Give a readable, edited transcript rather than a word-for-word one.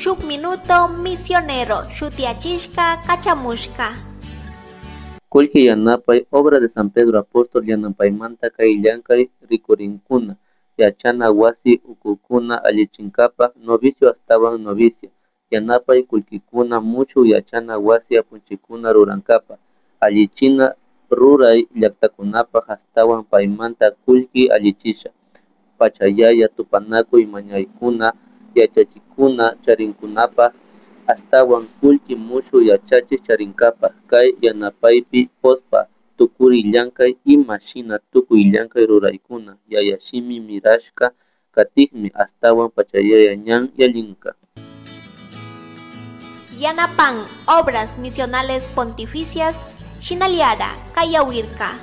Shuk Minuto Misionero shutiyachishka kachamushka. Kullki yanapay Obra de San Pedro Apóstol yanapaymanta kay llankay rikurinkuna yachana wasi ukukuna allichinkapak novicio ashtawan novicia yanapay kullkikuna mushuk yachana wasi apunchikuna rurankapak allichina ruray llaktakunapak ashtawan paymanta kullki allichisha pachayaya tupanakuy mañaykuna yachachikuna charinkunapak ashtawan kullki mushuk yachachik charinkapak kay yanapaypi pospa tukuri llankay ima shina tukuy llankay ruraykuna yayashimi mirashka katikmi ashtawan pachayaya ñan yallinka. Yanapan Obras Misionales Pontificias Shinaliara Kayawirka.